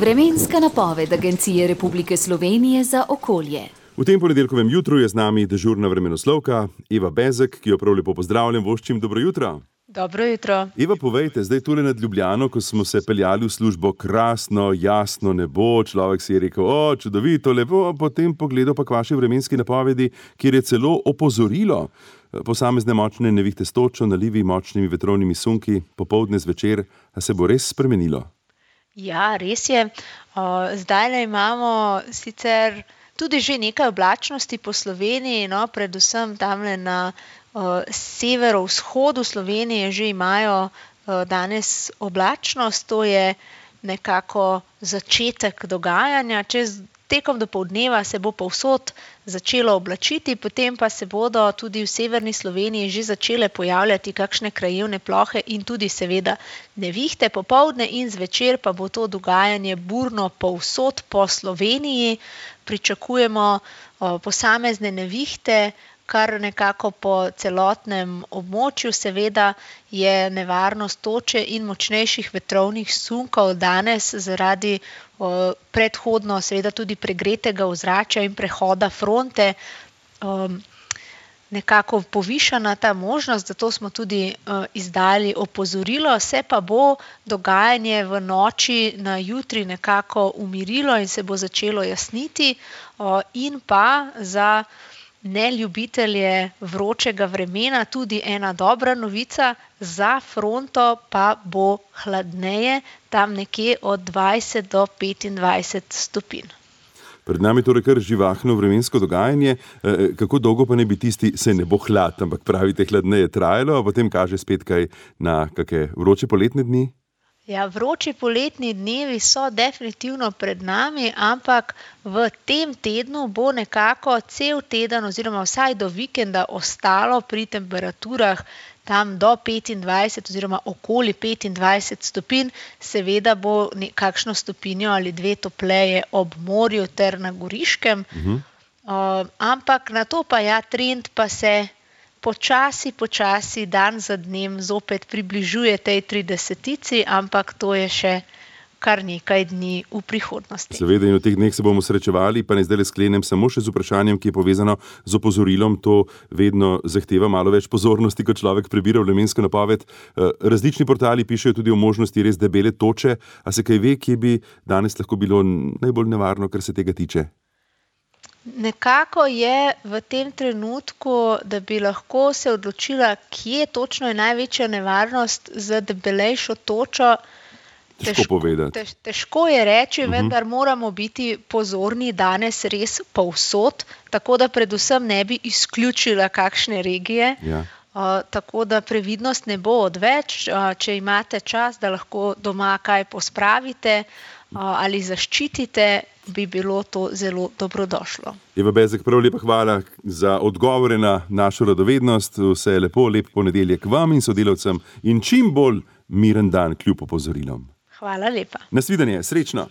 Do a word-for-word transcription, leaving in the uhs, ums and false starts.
Vremenska napoved Agencije Republike Slovenije za okolje. V tem ponedeljkovem jutru je z nami dežurna vremenoslovka Eva Bezek, ki jo prav lepo pozdravljam, voščim dobro jutro. Dobro jutro. Eva, povejte, zdaj tule nad Ljubljano, ko smo se peljali v službo, krasno, jasno nebo, človek si je rekel, o, čudovito, lepo, potem pogledal pa k vaši vremenski napovedi, kjer je celo opozorilo. Posamezne močne nevihte s točo, nalivi, močnimi vetrovnimi sunki, popoldne zvečer, a se bo res spremenilo? Ja, res je. Zdajle imamo sicer tudi že nekaj oblačnosti po Sloveniji, no, predvsem tamle na severovzhodu Slovenije že imajo danes oblačnost, to je nekako začetek dogajanja. Čez tekom dopoldneva se bo povsod začelo oblačiti, potem pa se bodo tudi v severni Sloveniji že začele pojavljati kakšne krajevne plohe in tudi seveda nevihte. Popoldne in zvečer pa bo to dogajanje burno povsod po Sloveniji. Pričakujemo posamezne nevihte, kar nekako po celotnem območju. Seveda je nevarnost toče in močnejših vetrovnih sunkov danes zaradi o, predhodno seveda tudi pregretega ozračja in prehoda fronte o, nekako povišana ta možnost, zato smo tudi o, izdali opozorilo. Se pa bo dogajanje v noči na jutri nekako umirilo in se bo začelo jasniti o, in pa za neljubitelje vročega vremena tudi ena dobra novica, za fronto pa bo hladneje, tam nekje od dvajset do petindvajset stopinj. Pred nami torej kar živahno vremensko dogajanje. Kako dolgo pa ne bi tisti, se ne bo hlad, ampak pravite hladneje trajalo, a potem kaže spet kaj na kake vroče poletne dni? Ja, vroči poletni dnevi so definitivno pred nami, ampak v tem tednu bo nekako cel teden oziroma vsaj do vikenda ostalo pri temperaturah tam do petindvajset oziroma okoli petindvajset stopinj. Seveda bo kakšno stopinjo ali dve topleje ob morju ter na Goriškem. Uh-huh. uh, ampak na to pa ja, trend pa se počasi, počasi, dan za dnem zopet približuje tej tridesetici, ampak to je še kar nekaj dni v prihodnosti. Seveda in v teh dneh se bomo srečevali, pa ne zdaj le sklenem samo še z vprašanjem, ki je povezano z opozorilom. To vedno zahteva malo več pozornosti, ko človek prebira vremensko napoved. Različni portali pišejo tudi o možnosti res debele toče. A se kaj ve, kje bi danes lahko bilo najbolj nevarno, kar se tega tiče? Nekako je v tem trenutku, da bi lahko se odločila, kje točno je največja nevarnost za debelejšo točo. Težko, težko povedati. Tež, težko je reči, uh-huh. vendar moramo biti pozorni danes res povsod, tako da predvsem ne bi izključila kakšne regije. Ja. Uh, tako da previdnost ne bo odveč. Uh, če imate čas, da lahko doma kaj pospravite uh, ali zaščitite, bi bilo to zelo dobrodošlo. Eva Bezek, prav lepa hvala za odgovore na našo radovednost. Vse lepo, lep ponedeljek vam in sodelavcem in čim bolj miren dan kljub opozorilom. Hvala lepa. Nasvidenje, srečno.